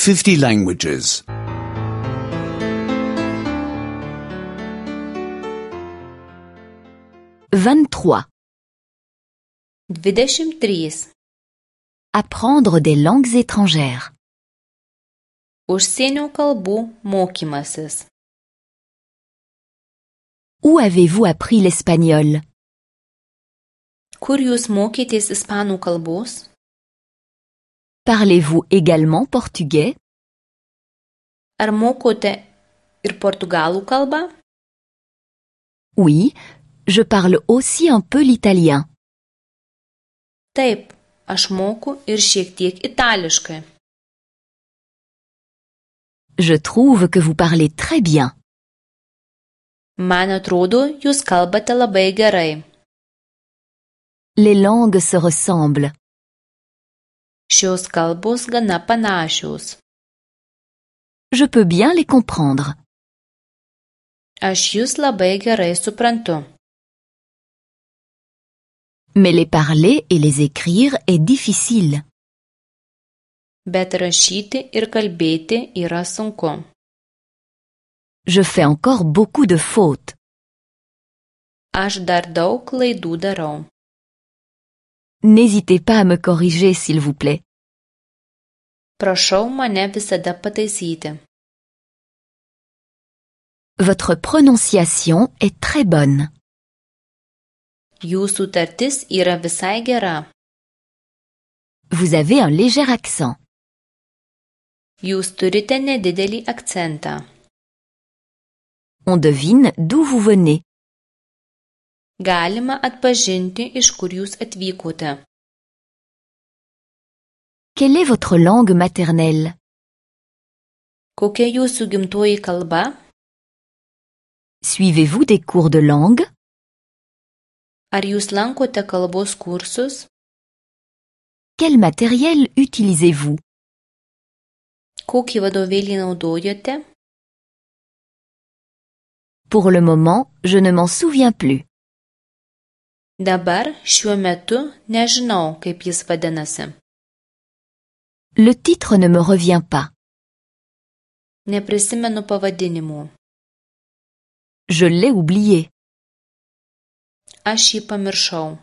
50 languages. 23. 23. Apprendre des langues étrangères. Užsienio kalbų mokymasis. Où avez-vous appris l'espagnol? Kur jūs mokytės ispanų kalbos? Parlez-vous également portugais? Ar mokote ir portugalų kalbą? Oui, je parle aussi un peu l'italien. Taip, aš moku ir šiek tiek itališkai. Je trouve que vous parlez très bien. Man atrodo, jūs kalbate labai gerai. Les langues se ressemblent. Šios kalbos gana panašios. Je peux bien les comprendre. Aš jūs labai gerai suprantu. Mais les parler et les écrire est difficile. Bet rašyti ir kalbėti yra sunku. Je fais encore beaucoup de fautes. Aš dar daug klaidų darau. N'hésitez pas à me corriger, s'il vous plaît. Prašau mane visada pataisyti. Votre prononciation est très bonne. Jūsų tartis yra visai gera. Vous avez un léger accent. Jūs turite nedidelį akcentą. On devine d'où vous venez. Galima atpažinti, iš kur jūs atvykote. Quelle est votre langue maternelle? Kokia jūsų gimtoji kalba? Suivez-vous des cours de langue? Ar jūs lankote kalbos kursus? Quel matériel utilisez-vous? Kokį vadovėlį naudojate? Pour le moment, je ne m'en souviens plus. Dabar šiuo metu nežinau, kaip jis vadinasi. Le titre ne me revient pas. Neprisimenu pavadinimų. Je l'ai oublié. Aš jį pamiršau.